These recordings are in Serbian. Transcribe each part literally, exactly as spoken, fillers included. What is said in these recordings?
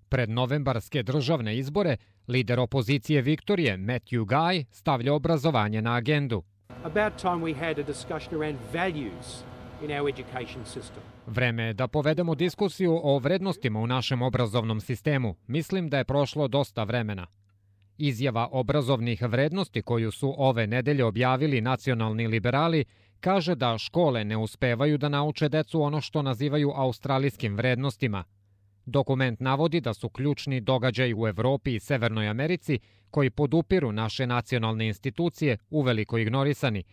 Pred novembarske državne izbore, lider opozicije Viktorije, Matthew Guy, stavlja obrazovanje na agendu. Vreme je da povedemo diskusiju o vrednostima u našem obrazovnom sistemu. Mislim da je prošlo dosta vremena. Izjava obrazovnih vrednosti koju su ove nedelje objavili nacionalni liberali kaže da škole ne uspevaju da nauče decu ono što nazivaju australijskim vrednostima. Dokument navodi da su ključni događaji u Evropi i Severnoj Americi koji podupiru naše nacionalne institucije uveliko ignorisani.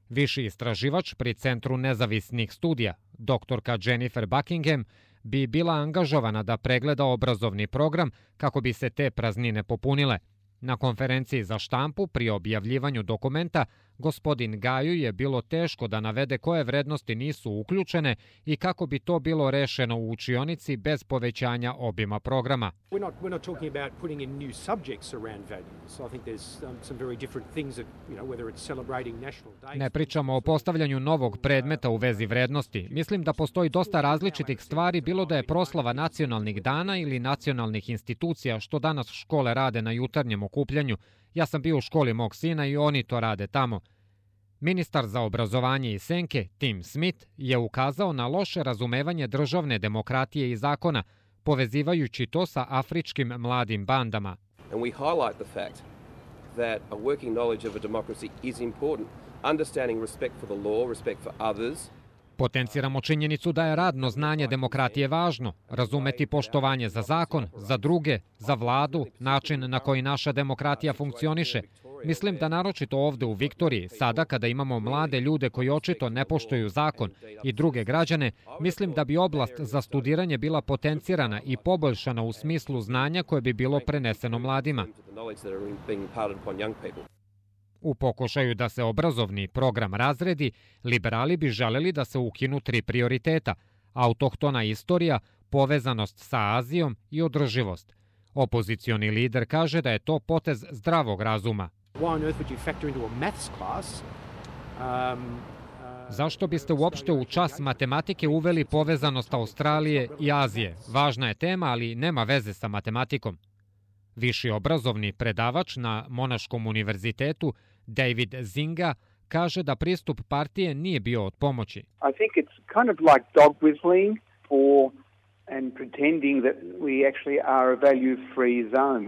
Viši istraživač pri Centru nezavisnih studija, doktorka Jennifer Buckingham, bi bila angažovana da pregleda obrazovni program kako bi se te praznine popunile. Na konferenciji za štampu pri objavljivanju dokumenta gospodin Gaju je bilo teško da navede koje vrednosti nisu uključene i kako bi to bilo rešeno u učionici bez povećanja obima programa. Ne pričamo o postavljanju novog predmeta u vezi vrednosti. Mislim da postoji dosta različitih stvari, bilo da je proslava nacionalnih dana ili nacionalnih institucija, što danas škole rade na jutarnjem okupljanju. Ja sam bio u školi mog sina i oni to rade tamo. Ministar za obrazovanje iz Senke, Tim Smith, je ukazao na loše razumevanje državne demokratije i zakona, povezivajući to sa afričkim mladim bandama. And we highlight the fact that a working knowledge of a democracy is important, understanding respect for the law, respect for others. Potenciramo činjenicu da je radno znanje demokratije važno, razumeti poštovanje za zakon, za druge, za vladu, način na koji naša demokratija funkcioniše. Mislim da naročito ovde u Viktoriji, sada kada imamo mlade ljude koji očito ne poštuju zakon i druge građane, mislim da bi oblast za studiranje bila potencirana i poboljšana u smislu znanja koje bi bilo preneseno mladima. U pokušaju da se obrazovni program razredi, liberali bi želeli da se ukinu tri prioriteta: autohtona istorija, povezanost sa Azijom i održivost. Opozicioni lider kaže da je to potez zdravog razuma. Zašto biste uopšte u čas matematike uveli povezanost Australije i Azije? Važna je tema, ali nema veze sa matematikom. Viši obrazovni predavač na Monaškom univerzitetu, David Zinga, kaže da pristup partije nije bio od pomoći. I think it's kind of like dog whistling for and pretending that we actually are a value-free zone.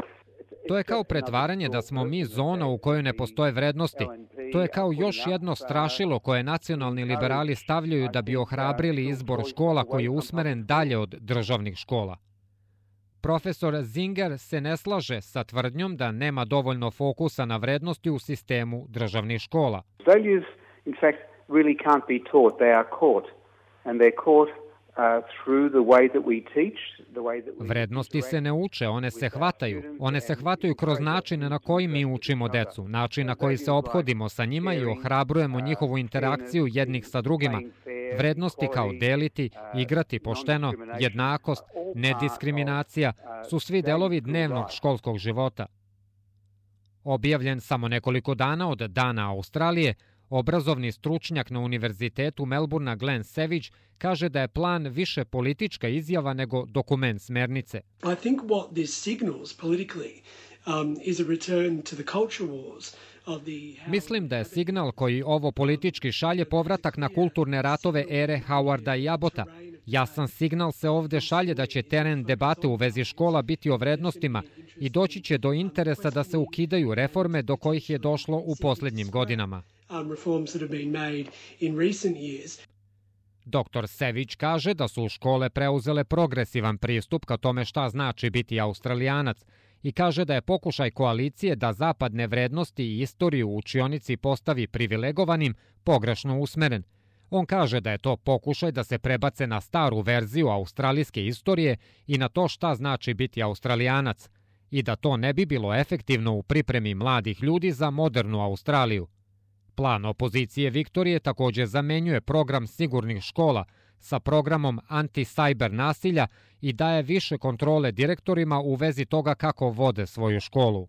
To je kao pretvaranje da smo mi zona u kojoj ne postoje vrednosti. To je kao još jedno strašilo koje nacionalni liberali stavljaju da bi ohrabrili izbor škola koji je usmeren dalje od državnih škola. Profesor Zinger se ne slaže sa tvrdnjom da nema dovoljno fokusa na vrednosti u sistemu državnih škola. Values, in fact, really can't be taught. They are caught. And they're caught Vrednosti se ne uče, one se hvataju. One se hvataju kroz način na koji mi učimo decu, način na koji se ophodimo sa njima i ohrabrujemo njihovu interakciju jednih sa drugima. Vrednosti kao deliti, igrati pošteno, jednakost, nediskriminacija su svi delovi dnevnog školskog života. Objavljen samo nekoliko dana od Dana Australije, obrazovni stručnjak na univerzitetu Melbourna Glenn Savage kaže da je plan više politička izjava nego dokument smernice. I think what this signals politically um, is a return to the culture wars. Mislim da je signal koji ovo politički šalje povratak na kulturne ratove ere Howarda i Abbota. Jasan signal se ovde šalje da će teren debate u vezi škola biti o vrednostima i doći će do interesa da se ukidaju reforme do kojih je došlo u poslednjim godinama. Doktor Savage kaže da su škole preuzele progresivan pristup ka tome šta znači biti Australijanac i kaže da je pokušaj koalicije da zapadne vrednosti i istoriju u učionici postavi privilegovanim pogrešno usmeren. On kaže da je to pokušaj da se prebace na staru verziju australijske istorije i na to šta znači biti Australijanac i da to ne bi bilo efektivno u pripremi mladih ljudi za modernu Australiju. Plan opozicije Viktorije takođe zamenjuje program sigurnih škola sa programom anti-sajber nasilja i daje više kontrole direktorima u vezi toga kako vode svoju školu.